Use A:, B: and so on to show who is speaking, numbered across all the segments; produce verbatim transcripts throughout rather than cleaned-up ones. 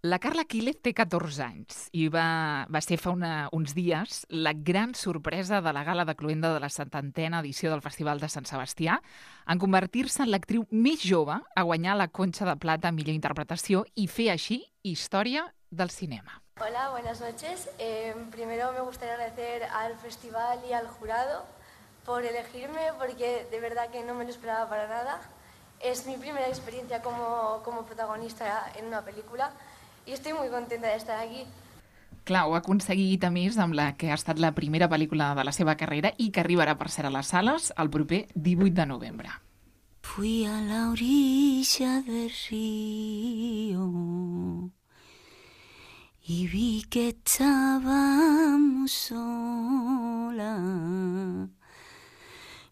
A: La Carla Quílez té catorze anys i va, va ser fa una, uns dies la gran sorpresa de la gala de cloenda de la setantena edició del Festival de Sant Sebastià en convertir-se en l'actriu més jove a guanyar la Concha de Plata a millor interpretació i fer així història del cinema.
B: Hola, buenas noches. Eh, primero me gustaría agradecer al festival y al jurado por elegirme porque de verdad que no me lo esperaba para nada. Es mi primera experiencia como, como protagonista en una película i estic molt contenta d'estar aquí.
A: Clar, ho ha aconseguit a més amb la que ha estat la primera pel·lícula de la seva carrera i que arribarà per ser a les sales el proper divuit de novembre.
C: Fui a la orilla del río y vi que estábamos sola,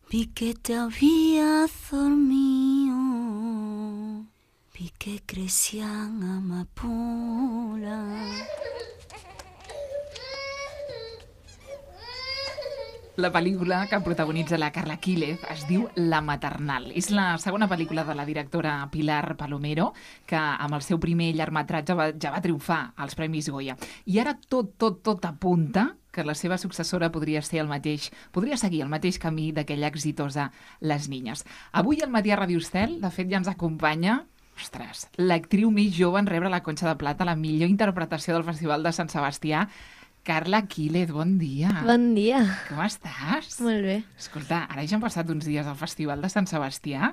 C: vi que te habías dormido, vi que crecían amapolas.
A: La pel·lícula que protagonitza la Carla Quílez es diu La maternal. És la segona pel·lícula de la directora Pilar Palomero, que amb el seu primer llargmetratge va, ja va triomfar als Premis Goya. I ara tot, tot, tot apunta que la seva successora podria ser el mateix, podria seguir el mateix camí d'aquella exitosa Les Niñas. Avui al Matí a Ràdio Estel, de fet, ja ens acompanya Ostres, l'actriu més jove en rebre la Concha de Plata, la millor interpretació del Festival de Sant Sebastià, Carla Quílez, bon dia.
D: Bon dia.
A: Com estàs?
D: Molt bé.
A: Escolta, ara ja han passat uns dies al Festival de Sant Sebastià.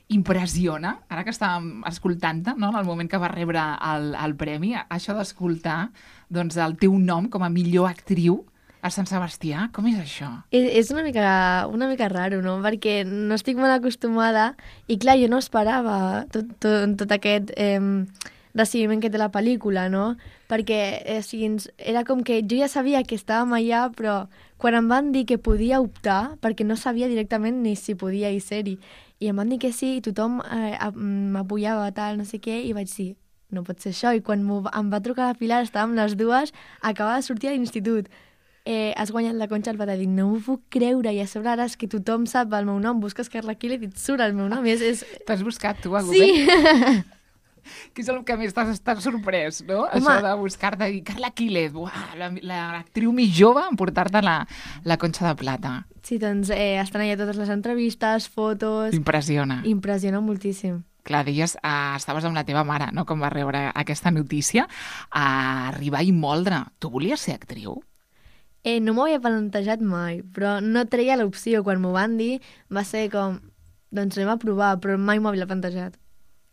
A: Impressiona, ara que estàvem escoltant-te, no?, en el moment que va rebre el, el premi, això d'escoltar doncs, el teu nom com a millor actriu a Sant Sebastià, com és això?
D: És una mica, una mica raro, no? Perquè no estic molt acostumada i, clar, jo no esperava tot, tot, tot aquest eh, recibiment que té la pel·lícula, no? Perquè eh, o sigui, era com que jo ja sabia que estàvem allà, però quan em van dir que podia optar, perquè no sabia directament ni si podia hi ser-hi, i em van dir que sí, i tothom eh, m'apoyava, tal, no sé què, i vaig dir, no pot ser això. I quan em va trucar la Pilar, estàvem les dues, acabava de sortir a l'institut. Eh, has guanyat la Concha de Plata, dic, no m'ho puc creure, i a sobre ara és que tothom sap el meu nom, busques Carla Quílez i et surt el meu nom. És, és...
A: T'has buscat tu a
D: Sí!
A: Que és el que més t'has estat sorprès, no?
D: Home.
A: Això de buscar-te i Carla Quílez, l'actriu més jove en portar-te la, la Concha de Plata.
D: Sí, doncs eh, estan allà totes les entrevistes, fotos...
A: Impressiona.
D: Impressiona moltíssim.
A: Clar, deies, eh, estaves amb la teva mare, no?, com va rebre aquesta notícia, a arribar i moldre. Tu volies ser actriu?
D: Eh, no m'ho havia plantejat mai, però no treia l'opció. Quan m'ho van dir va ser com, doncs anem a provar, però mai m'ho havia plantejat.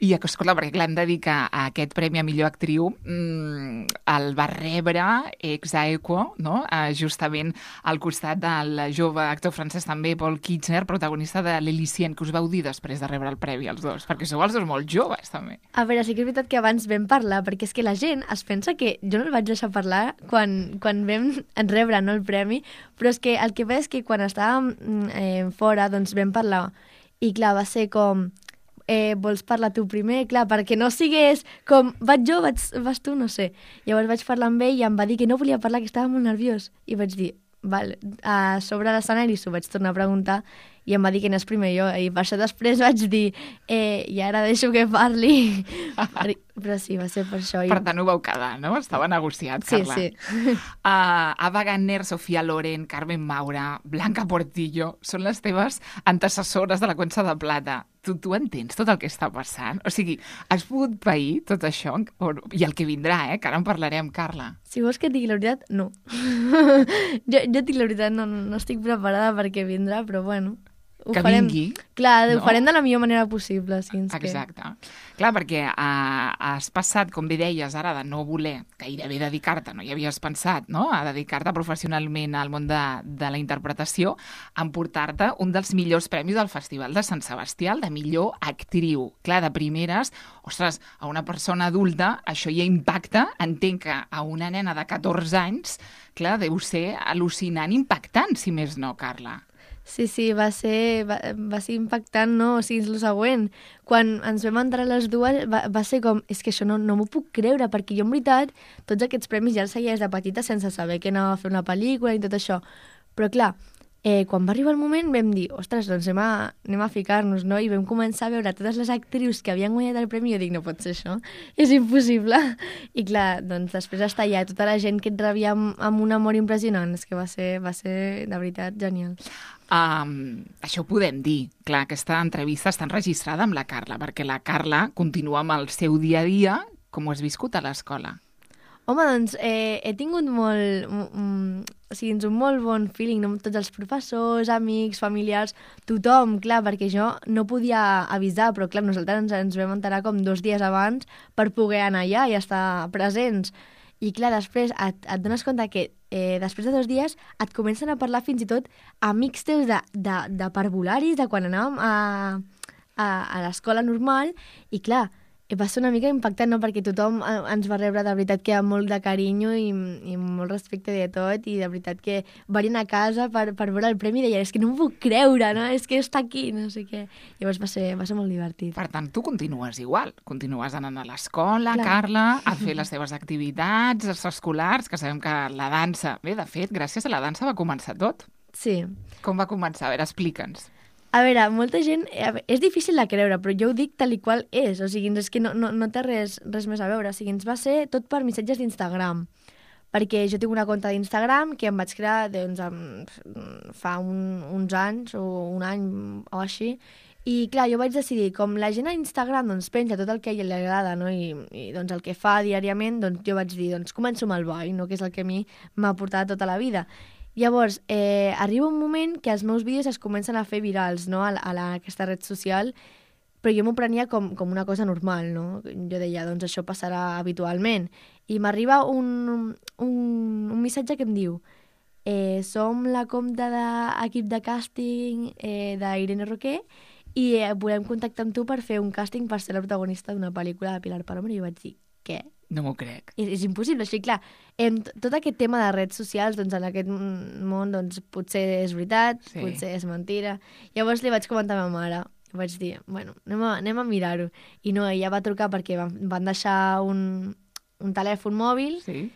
A: I, escolta, perquè clar, hem de dir que aquest premi a millor actriu mmm, el va rebre ex aequo, no?, eh, justament al costat del jove actor francès també, Paul Kitchener, protagonista de l'Elysienne, que us vau dir després de rebre el premi els dos, perquè sou els dos molt joves, també.
D: A veure, sí que és veritat que abans vam parlar, perquè és que la gent es pensa que jo no el vaig deixar parlar quan, quan vam rebre, no, el premi, però és que el que veig és que quan estàvem eh, fora, doncs vam parlar, i clar, va ser com... Eh, vols parlar tu primer? Clar, perquè no sigués com, vaig jo, vaig, vas tu, no sé. Llavors vaig parlar amb ell i em va dir que no volia parlar, que estava molt nerviós. I vaig dir, val, a sobre l'escenari s'ho vaig tornar a preguntar i em va dir que anés primer jo. I per això després vaig dir, eh, i ara deixo que parli. Però sí, va ser per això.
A: Per tant, ho vau quedar, no? Estava negociat, Carla.
D: Sí, sí.
A: Uh, Ava Gardner, Sofia Loren, Carmen Maura, Blanca Portillo, són les teves antecessores de la Concha de Plata. Tu, tu entens tot el que està passant? O sigui, has pogut pair tot això? O, I el que vindrà, eh? Que ara en parlarem, Carla.
D: Si vols que et digui la veritat, no. jo, jo et dic la veritat, no, no estic preparada perquè vindrà, però bueno... Ho
A: que
D: farem,
A: vingui.
D: Clar,
A: no?
D: Ho farem de la millor manera possible. Sí,
A: Exacte. Que... Clar, perquè uh, has passat, com bé deies ara, de no voler gairebé dedicar-te, no hi havies pensat, no?, a dedicar-te professionalment al món de, de la interpretació, a emportar-te un dels millors premis del Festival de Sant Sebastià, el de millor actriu. Clar, de primeres, ostres, a una persona adulta això ja impacta, entenc que a una nena de catorze anys, clar, deu ser al·lucinant, impactant, si més no, Carla.
D: Sí, sí, va ser, va, va ser impactant, no? O sigui, és el següent. Quan ens vam entrar les dues, va, va ser com, és que això no, no m'ho puc creure, perquè jo, en veritat, tots aquests premis ja els seguia des de petita sense saber que anava a fer una pel·lícula i tot això. Però, clar, eh, quan va arribar el moment vam dir, ostres, doncs anem a, anem a ficar-nos, no? I vam començar a veure totes les actrius que havien guanyat el premi i jo dic, no pot ser això, és impossible. I clar, doncs després està allà tota la gent que et rebia amb, amb un amor impressionant, és que va ser, va ser de veritat genial.
A: Um, això ho podem dir. Clar, aquesta entrevista està enregistrada amb la Carla, perquè la Carla continua amb el seu dia a dia. Com ho has viscut a l'escola?
D: Home, doncs, eh, he tingut molt, mm, o sigui, un molt bon feeling, no? Amb tots els professors, amics, familiars, tothom, clar, perquè jo no podia avisar, però clar, nosaltres ens, ens vam enterar com dos dies abans per poder anar allà i estar presents. I clar, després et, et dones compte que eh, després de dos dies et comencen a parlar fins i tot amics teus de, de, de parvularis, de quan anàvem a, a, a l'escola normal, i clar, va ser una mica impactant, no? Perquè tothom ens va rebre de veritat que amb molt de carinyo i, i molt respecte de tot, i de veritat que venien a casa per, per veure el premi i deien, és que no m'ho puc creure, no? És que està aquí, no sé què. Llavors va ser, va ser molt divertit.
A: Per tant, tu continues igual. Continues anant a l'escola,
D: Clar.
A: Carla, a fer les teves activitats escolars, que sabem que la dansa... Bé, de fet, gràcies a la dansa va començar tot.
D: Sí.
A: Com va començar? A veure, explica'ns.
D: A veure, molta gent... És difícil de creure, però jo ho dic tal i qual és. O sigui, és que no, no, no té res, res més a veure. O sigui, ens va ser tot per missatges d'Instagram. Perquè jo tinc una compta d'Instagram que em vaig crear doncs, fa un, uns anys o un any o així. I clar, jo vaig decidir, com la gent a Instagram doncs, penja tot el que a ella li agrada, no? I, i doncs, el que fa diàriament, doncs, jo vaig dir, doncs començo amb el ball, no? Que és el que a mi m'ha portat tota la vida. Llavors, eh, arriba un moment que els meus vídeos es comencen a fer virals, no?, a, la, a la, aquesta red social, però jo m'ho prenia com, com una cosa normal, no? Jo deia, doncs això passarà habitualment. I m'arriba un, un, un missatge que em diu eh, som la compta d'equip de càsting eh, d'Irene Roquer i eh, volem contactar amb tu per fer un càsting per ser la protagonista d'una pel·lícula de Pilar Palomero. I jo vaig dir, què?
A: No m'ho crec.
D: És, és impossible. Així, clar, em, tot aquest tema de redes socials, doncs, en aquest món, doncs, potser és veritat,
A: Sí.
D: potser és mentira. Llavors li vaig comentar a ma mare. I vaig dir, bueno, anem a, anem a mirar-ho. I no, ella va trucar perquè van, van deixar un, un telèfon mòbil.
A: Sí?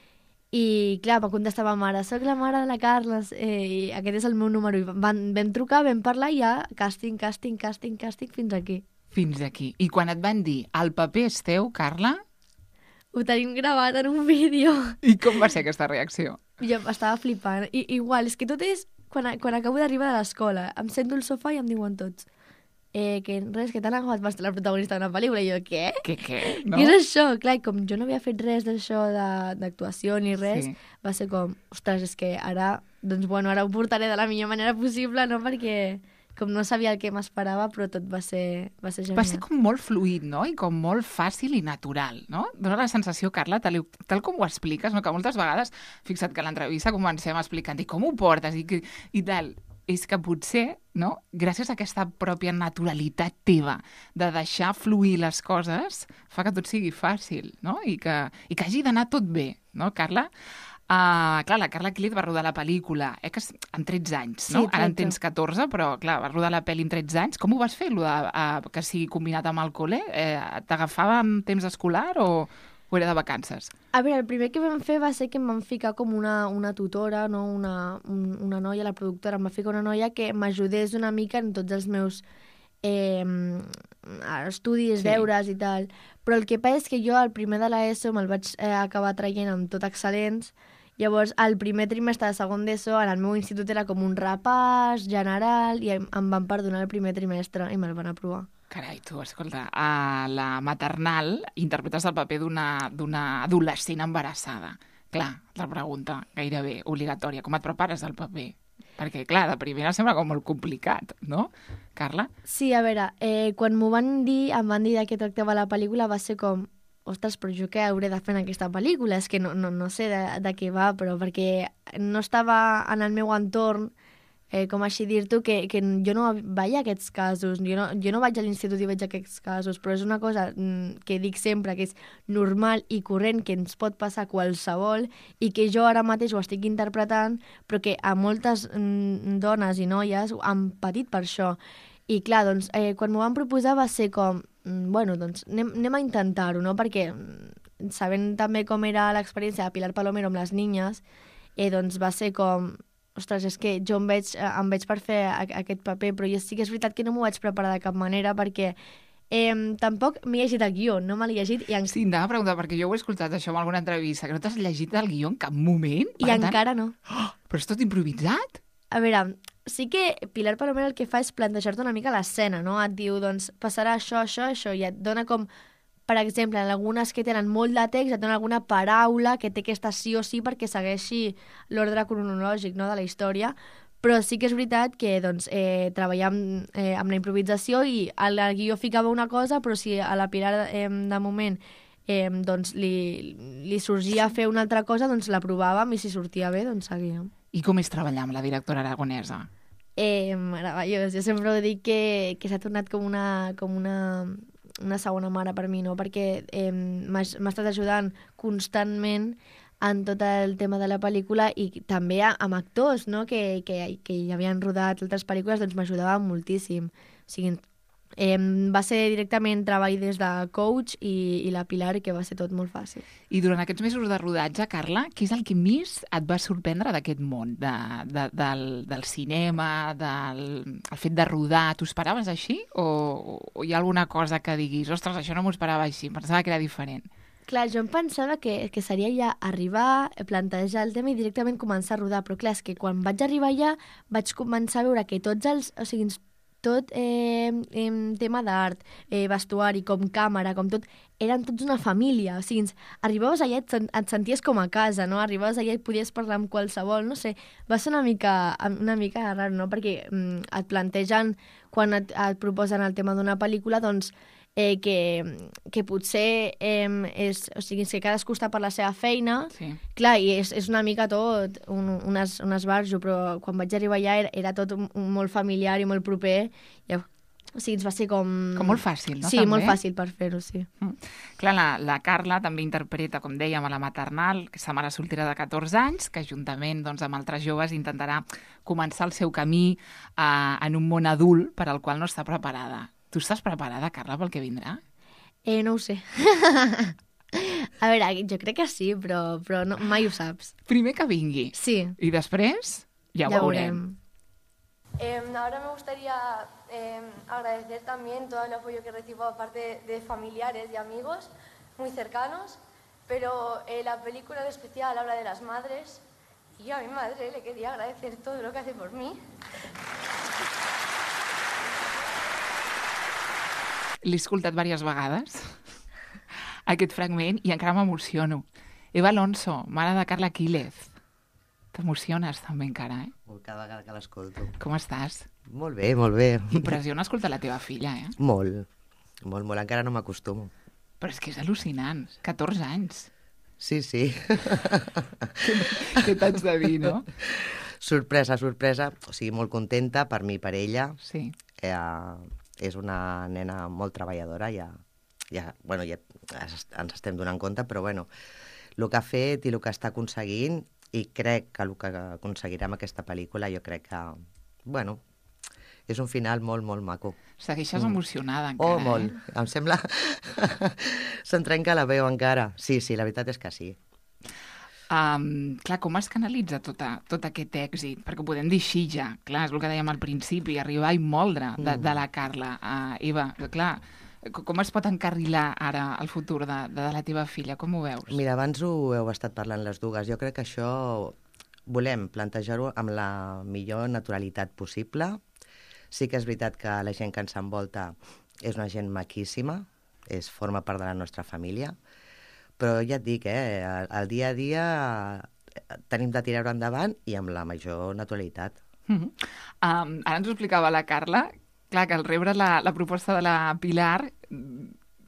D: I, clar, va contestar ma mare, soc la mare de la Carla, eh, i aquest és el meu número. I van, vam trucar, vam parlar i ja, càsting, càsting, càsting, càsting, fins aquí.
A: Fins aquí. I quan et van dir, el paper és teu, Carla?
D: Ho tenim gravat en un vídeo.
A: I com va ser aquesta reacció?
D: Jo estava flipant. I, igual, és que tot és... Quan, quan acabo d'arribar de l'escola, em sento al sofà i em diuen tots eh, que res, que t'han agafat per ser la protagonista d'una pel·lícula. I jo, què?
A: Què, què? No?
D: Què és això? Clar, i com jo no havia fet res d'això de- d'actuació ni res,
A: Sí.
D: va ser com, ostres, és que ara, doncs bueno, ara ho portaré de la millor manera possible, no? Perquè com no sabia el que m'esperava, però tot va ser, va ser genial.
A: Va ser com molt fluid, no? I com molt fàcil i natural, no? Dóna la sensació, Carla, tal, tal com ho expliques, no? Que moltes vegades, fixa't que a l'entrevista comencem explicant i com ho portes i, que- i tal. És que potser, no? Gràcies a aquesta pròpia naturalitat teva de deixar fluir les coses, fa que tot sigui fàcil, no? I que, i que hagi d'anar tot bé, no, Carla? Uh, clar, la Carla Quílez va rodar la pel·lícula eh, que és amb tretze anys, no?
D: Sí,
A: Ara en
D: tretze.
A: tens catorze, però clar, va rodar la pel·li amb tretze anys. Com ho vas fer, lo de, uh, que sigui combinat amb el col·le? Eh, T'agafava amb temps escolar o, o era de vacances?
D: A veure, el primer que vam fer va ser que em van ficar com una, una tutora, no? una, un, una noia, la productora, em va ficar una noia que m'ajudés una mica en tots els meus eh, estudis,
A: Sí.
D: deures i tal. Però el que passa és que jo al primer de l'ESO me'l vaig eh, acabar traient amb tot excel·lents. Llavors, al primer trimestre de segon d'ESO, en el meu institut era com un repàs general i em, em van perdonar el primer trimestre i me'l van aprovar.
A: Carai, tu, escolta, a la maternal interpretes el paper d'una d'una adolescent embarassada. Clar, la pregunta gairebé obligatòria. Com et prepares al paper? Perquè, clar, de primera sembla com molt complicat, no, Carla?
D: Sí, a veure, eh, quan m'ho van dir, em van dir de què tractava la pel·lícula, va ser com, ostres, però jo què hauré de fer en aquesta pel·lícula? És que no, no, no sé de, de què va, però perquè no estava en el meu entorn, eh, com així dir-t'ho, que, que jo no veia aquests casos, jo no, jo no vaig a l'institut i veig aquests casos, però és una cosa mm, que dic sempre, que és normal i corrent, que ens pot passar qualsevol i que jo ara mateix ho estic interpretant, però que a moltes mm, dones i noies han patit per això. I clar, doncs, eh, quan m'ho van proposar va ser com, mm, bueno, doncs anem, anem a intentar-ho, no? Perquè mm, sabent també com era l'experiència de Pilar Palomero amb les niñas, eh, doncs va ser com, ostres, és que jo em veig, em veig per fer aquest paper, però jo sí que és veritat que no m'ho vaig preparar de cap manera perquè eh, tampoc m'he llegit el guió, no me l'he llegit i, en...
A: Sí, em anava a preguntar, perquè jo ho he escoltat això en alguna entrevista, que no t'has llegit el guió en cap moment.
D: i encara no.
A: Oh, però és tot improvisat?
D: A veure, sí que Pilar Palomero el que fa és plantejar-te una mica l'escena, no? Et diu, doncs, passarà això, això, això, i et dona com, per exemple, en algunes que tenen molt de text, et dona alguna paraula que té que estar sí o sí perquè segueixi l'ordre cronològic, no?, de la història, però sí que és veritat que doncs, eh, treballem eh, amb la improvisació i al guió ficava una cosa, però si a la Pilar eh, de moment eh, doncs, li, li sorgia fer una altra cosa, doncs la provàvem i si sortia bé, doncs seguíem.
A: I com és treballar amb la directora aragonesa?
D: Eh, meravellós. Jo sempre ho dic que, que s'ha tornat com una, com una, una segona mare per mi, no? Perquè eh, m'ha estat ajudant constantment en tot el tema de la pel·lícula i també amb actors, no?, que, que, que ja havien rodat altres pel·lícules, doncs m'ajudava moltíssim. O sigui, eh, va ser directament treball des de coach i, i la Pilar, que va ser tot molt fàcil.
A: I durant aquests mesos de rodatge, Carla, què és el que més et va sorprendre d'aquest món, de, de, del, del cinema, del el fet de rodar? T'ho esperaves així? O, o hi ha alguna cosa que diguis, ostres, això no m'ho esperava així, pensava que era diferent?
D: Clar, jo em pensava que, que seria ja arribar, plantejar el tema i directament començar a rodar, però clar, és que quan vaig arribar allà vaig començar a veure que tots els... O sigui, tot eh, eh, tema d'art, eh, vestuari, com càmera, com tot, eren tots una família. O sigui, arribaves allà i et, et senties com a casa, no? Arribaves allà i podies parlar amb qualsevol, no sé. Va ser una mica, una mica raro, no? Perquè mm, et plantegen, quan et, et proposen el tema d'una pel·lícula, doncs, eh, que, que potser eh, és, o sigui, que cadascú està per la seva feina,
A: sí.
D: Clar, i és, és una mica tot un, un, es, un esbarjo, però quan vaig arribar allà era, era tot un, un molt familiar i molt proper, i, o sigui, ens va ser com...
A: Com molt fàcil, no?
D: Sí,
A: també?
D: molt fàcil per fer-ho, sí.
A: Mm. Clar, la, la Carla també interpreta, com dèiem, a la maternal, que és sa mare soltera de catorze anys, que juntament doncs, amb altres joves intentarà començar el seu camí eh, en un món adult per al qual no està preparada. Tu estàs preparada, Carla, pel que vindrà?
D: Eh, no ho sé. A veure, jo crec que sí, però, però no, mai ho saps.
A: Primer que vingui.
D: Sí.
A: I després ja,
D: ja
A: ho veurem.
B: Eh, ahora me gustaría eh, agradecer también todo el apoyo que recibo aparte de familiares y amigos muy cercanos, pero eh, la película en especial habla de las madres y a mi madre le quería agradecer todo lo que hace por mí.
A: L'he escoltat diverses vegades, aquest fragment, i encara m'emociono. Eva Alonso, mare de Carla Quílez. T'emociones també encara, eh?
E: Cada vegada que l'escolto.
A: Com estàs?
E: Molt bé, molt bé.
A: Impressiona escoltar la teva filla, eh?
E: Molt, molt, molt. Encara no m'acostumo.
A: Però és que és al·lucinant. catorze anys.
E: Sí, sí.
A: Què t'haig de dir, no?
E: Sorpresa, sorpresa. O sigui, molt contenta per mi i per ella.
A: Sí.
E: Eh, és una nena molt treballadora, ja, ja, bueno, ja ens estem donant compte, però bueno, el que ha fet i el que està aconseguint, i crec que el que aconseguirà amb aquesta pel·lícula, jo crec que, bueno, és un final molt, molt maco.
A: Segueixes mm. emocionada encara,
E: oh, molt.
A: eh?
E: Em sembla... Se'n trenca la veu encara. Sí, sí, la veritat és que sí.
A: Um, clar, com es canalitza tota, tot aquest èxit? Perquè ho podem dir així ja, clar, és el que dèiem al principi, arribar i moldre de, de la Carla. Uh, Eva, clar, com es pot encarrilar ara el futur de, de la teva filla? Com ho veus?
E: Mira, abans ho heu estat parlant les dues. Jo crec que això volem plantejar-ho amb la millor naturalitat possible. Sí que és veritat que la gent que ens envolta és una gent maquíssima, és, forma part de la nostra família, però ja et dic, eh, el dia a dia tenim de tirar-ho endavant i amb la major naturalitat.
A: Mm-hmm. um, ara ens ho explicava la Carla, clar, que al rebre la, la proposta de la Pilar,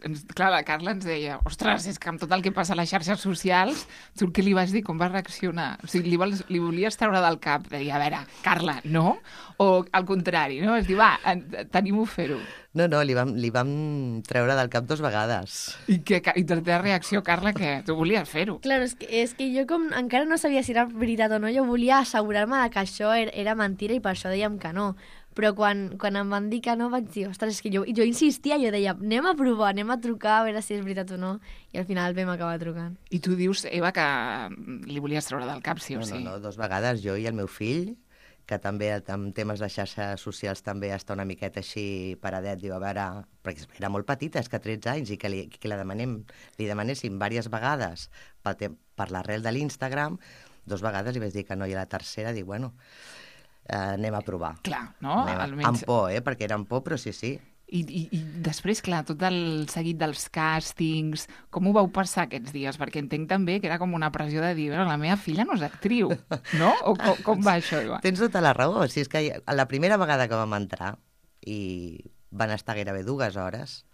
A: ens, clar, la Carla ens deia, ostres, és que amb tot el que passa a les xarxes socials, tu què li vas dir, com va reaccionar? O sigui, li, vols, li volies treure del cap, de dir, a veure, Carla, no? O al contrari, no? És dir, va, tenim-ho a fer-ho.
E: No, no, li vam, li vam treure del cap dos vegades.
A: I, que, i la teva reacció, Carla, que tu volies fer-ho.
D: Clar, és que, és que jo com encara no sabia si era veritat o no, jo volia assegurar-me que això era, era mentira i per això dèiem que no. Però quan, quan em van dir que no, vaig dir, ostres, és que jo, jo insistia, jo deia, anem a provar, anem a trucar, a veure si és veritat o no, i al final vam acabar trucant.
A: I tu dius, Eva, que li volies treure del cap, sí o
E: No,
A: sí?
E: no, no, dos vegades, jo i el meu fill, que també en temes de xarxes socials també està una miqueta així paradet, diu, a veure, perquè era molt petita, és que tretze anys, i que li, que la demanem, li demanéssim diverses vegades per, te, per l'arrel de l'Instagram, dos vegades li vaig dir que no, i a la tercera dic, bueno, eh, anem a provar.
A: Clar, no?
E: Anem a,
A: Almenys...
E: Amb por, eh? Perquè era amb por, però sí, sí.
A: I, i, I després, clar, tot el seguit dels càstings, com ho vau passar aquests dies? Perquè entenc també que era com una pressió de dir, bueno, la meva filla no és actriu, no? O com, com va això, Eva?
E: Tens tota la raó. Si és que la primera vegada que vam entrar, i van estar gairebé dues hores,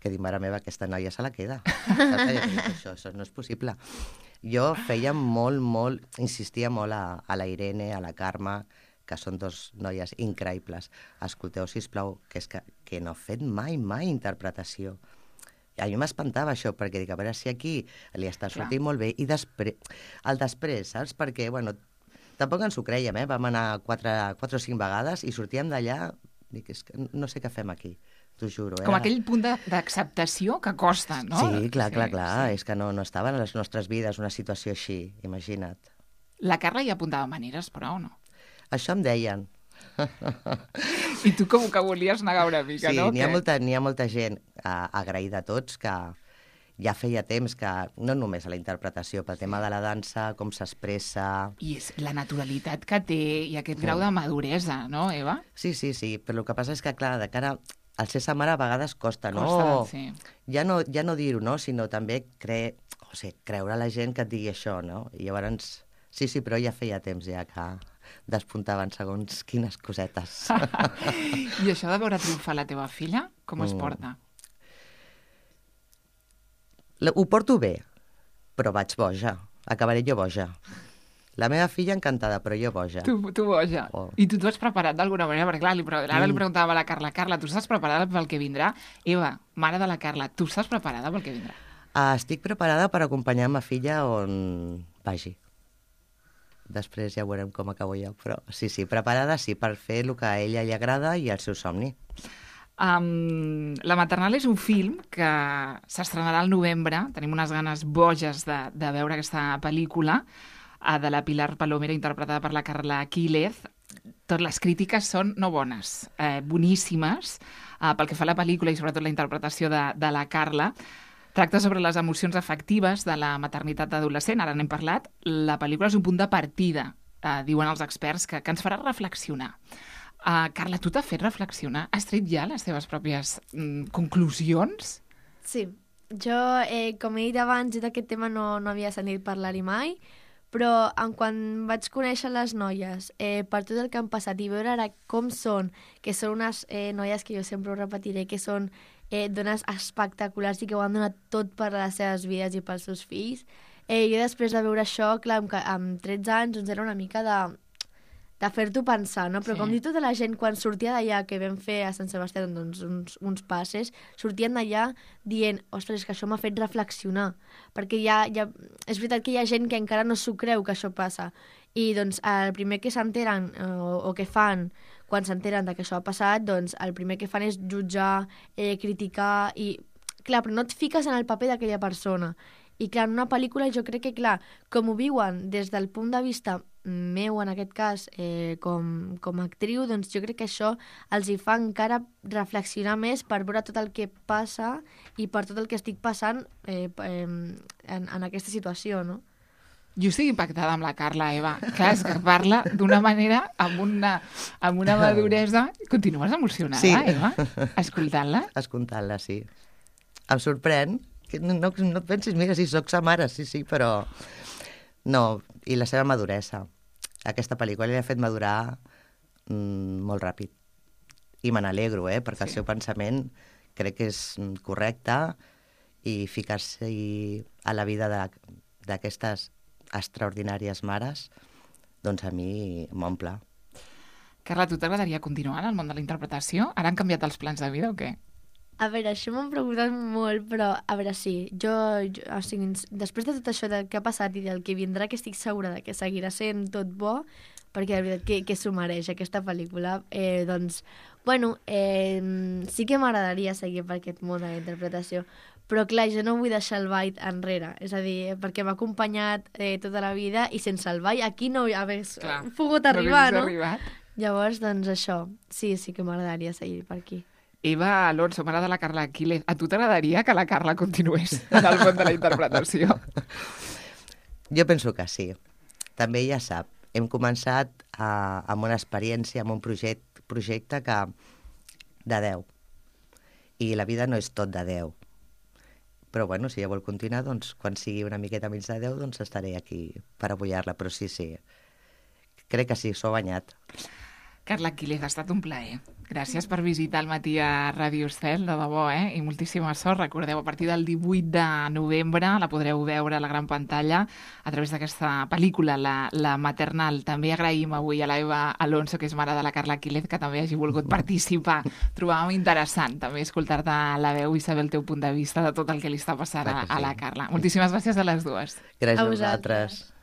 E: que dic, mare meva, aquesta noia se la queda. això, això no és possible. Jo feia molt, molt, insistia molt a, a la Irene, a la Carme, que són dos noies increïbles. Escolteu, sisplau, que és que, que no he fet mai, mai interpretació. A mi m'espantava això, perquè dic, a veure si aquí li està sortint Clar. molt bé, i després, el després, saps? Perquè, bueno, tampoc ens ho creiem, eh? Vam anar quatre, quatre o cinc vegades i sortíem d'allà, dic, és que no sé què fem aquí, t'ho juro.
A: Com era... aquell punt d'acceptació que costa, no?
E: Sí, clar,
A: sí,
E: clar, clar,
A: sí.
E: és que no, no estava en les nostres vides una situació així, imagina't.
A: La Carla hi apuntava maneres, però, o no?
E: Això em deien.
A: I tu com que volies negar una mica,
E: sí,
A: no?
E: Sí, n'hi ha, molta, n'hi ha molta gent uh, agraïda a tots que ja feia temps que, no només a la interpretació, pel tema de la dansa, com s'expressa...
A: I és la naturalitat que té i aquest grau de maduresa, no, Eva?
E: Sí, sí, sí, però el que passa és que, clar, de cara al ser sa mare a vegades costa, no?
A: Costa, sí.
E: Ja no, ja no dir-ho, no? Sinó també cre... o sigui, creure a la gent que et digui això, no? I llavors, sí, sí, però ja feia temps ja que despuntaven segons quines cosetes.
A: I això de veure triomfar la teva filla, com es porta?
E: Mm. Ho porto bé, però vaig boja. Acabaré jo boja. La meva filla encantada, però jo boja.
A: Tu, tu boja. Oh. I tu t'ho has preparat d'alguna manera? Perquè, clar, li, ara li preguntava a la Carla, Carla, tu estàs preparada pel que vindrà? Eva, mare de la Carla, tu estàs preparada pel que vindrà?
E: Uh, estic preparada per acompanyar ma filla on vagi. Després ja veurem com acabo jo, però sí, sí, preparada sí, per fer el que a ella li agrada i el seu somni.
A: Um, La maternal és un film que s'estrenarà al novembre, tenim unes ganes boges de, de veure aquesta pel·lícula, uh, de la Pilar Palomera, interpretada per la Carla Quílez. Totes les crítiques són no bones, eh, boníssimes, uh, pel que fa a la pel·lícula i sobretot la interpretació de, de la Carla. Tracta sobre les emocions afectives de la maternitat adolescent, ara n'hem parlat. La pel·lícula és un punt de partida, eh, diuen els experts, que, que ens farà reflexionar. Uh, Carla, tu t'has fet reflexionar? Has tret ja les teves pròpies mm, conclusions?
D: Sí. Jo, eh, com he dit abans, jo d'aquest tema no, no havia sentit parlar-hi mai, però en quan vaig conèixer les noies, eh, per tot el que han passat i veure ara com són, que són unes eh, noies que jo sempre ho repetiré, que són eh, dones espectaculars i que ho han donat tot per a les seves vides i pels seus fills. Eh, jo després de veure això, clar, amb, amb tretze anys, doncs era una mica de, de fer-t'ho pensar, no? Però sí. Com diu tota la gent, quan sortia d'allà, que vam fer a Sant Sebastià doncs, uns, uns passes, sortien d'allà dient, ostres, que això m'ha fet reflexionar, perquè ja, ja, és veritat que hi ha gent que encara no s'ho creu que això passa, i doncs el primer que s'enteren eh, o, o que fan quan s'enteren que això ha passat, doncs el primer que fan és jutjar, eh, criticar, i clar, però no et fiques en el paper d'aquella persona. I clar, en una pel·lícula jo crec que, clar, com ho viuen des del punt de vista meu, en aquest cas, eh, com, com a actriu, doncs jo crec que això els hi fa encara reflexionar més per veure tot el que passa i per tot el que estic passant eh, eh, en, en aquesta situació, no?
A: Jo estic impactada amb la Carla, Eva. Clar, és que parla d'una manera, amb una, amb una maduresa... Continues emocionada, sí. Eva, escoltant-la?
E: Escoltant-la, sí. Em sorprèn. Que no, no, no et pensis, mira, si soc sa mare, sí, sí, però... No, i la seva maduresa. Aquesta pel·lícula li ha fet madurar mm, molt ràpid. I me n'alegro, eh, perquè sí. El seu pensament crec que és correcte i ficar-se a la vida d'aquestes extraordinàries mares, doncs a mi m'omple.
A: Carla, tu t'agradaria continuar en el món de la interpretació? Ara han canviat els plans de vida o què?
D: A veure, això m'han preguntat molt, però a veure, sí, jo, jo o sigui, després de tot això de, que ha passat i del que vindrà, que estic segura de que seguirà sent tot bo, perquè de veritat que, que s'ho mereix aquesta pel·lícula. Eh, doncs, bueno, eh, sí que m'agradaria seguir per aquest món de la interpretació, però clar, jo no vull deixar el ball enrere, és a dir, perquè m'ha acompanyat eh, tota la vida i sense el ball aquí no hagués
A: Clar,
D: pogut arribar,
A: no
D: no?
A: hagués arribat.
D: Llavors, doncs això, sí, sí que m'agradaria seguir per aquí.
A: Eva Alonso, mare de la Carla Quílez, a tu t'agradaria que la Carla continués en el món de la interpretació?
E: Jo penso que sí. També ja sap, hem començat a, amb una experiència, amb un projecte, projecte que de deu. I la vida no és tot de deu. Però bueno, si ja vol continuar, doncs quan sigui una miqueta menys de deu, doncs estaré aquí per apoyar-la. Però sí, sí, crec que sí, s'ho ha banyat.
A: Carla Quílez, ha estat un plaer. Gràcies per visitar el matí a Ràdio Estel, de debò, eh? I moltíssima sort. Recordeu, a partir del divuit de novembre la podreu veure a la gran pantalla a través d'aquesta pel·lícula, la, la Maternal. També agraïm avui a l'Eva Alonso, que és mare de la Carla Quílez, que també hagi volgut participar. Trobàvem interessant també escoltar-te la veu i saber el teu punt de vista de tot el que li està passant a, a la Carla. Moltíssimes gràcies a les dues.
E: Gràcies
D: A
E: a
D: vosaltres.
E: vosaltres.